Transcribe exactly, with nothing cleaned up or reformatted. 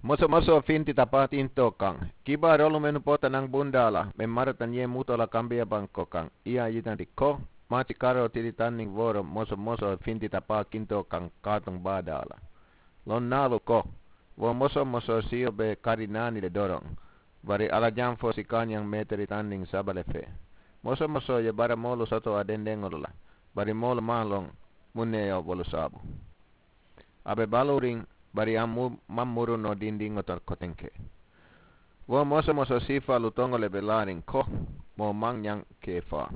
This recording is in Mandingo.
Moso moso fintita paatinto kaŋ. Kibaa rolu menu pota naŋ bundaala me marata nye mutola kambiya banko kaŋ iya yitanti ko maci karo tilitanniŋ woro moso moso fintita paakinto kaŋ kaatuŋ baadaala. Loŋ naalu ko wo moso moso siyo be kari naani le doroŋ. Bari ala jamfo si kaanyaŋ meetelitanniŋ saba le fee. Moso moso ye bara moolu soto a dendeŋolu la. Bari moolu maŋ loŋ muŋ ne ye wolu saabu. A be baluuriŋ bari a maŋ muru noo dindiŋo to kotenke. Wo moso moso siifaalu toŋo le be laariŋ ko moo maŋ ñaŋ kee faa.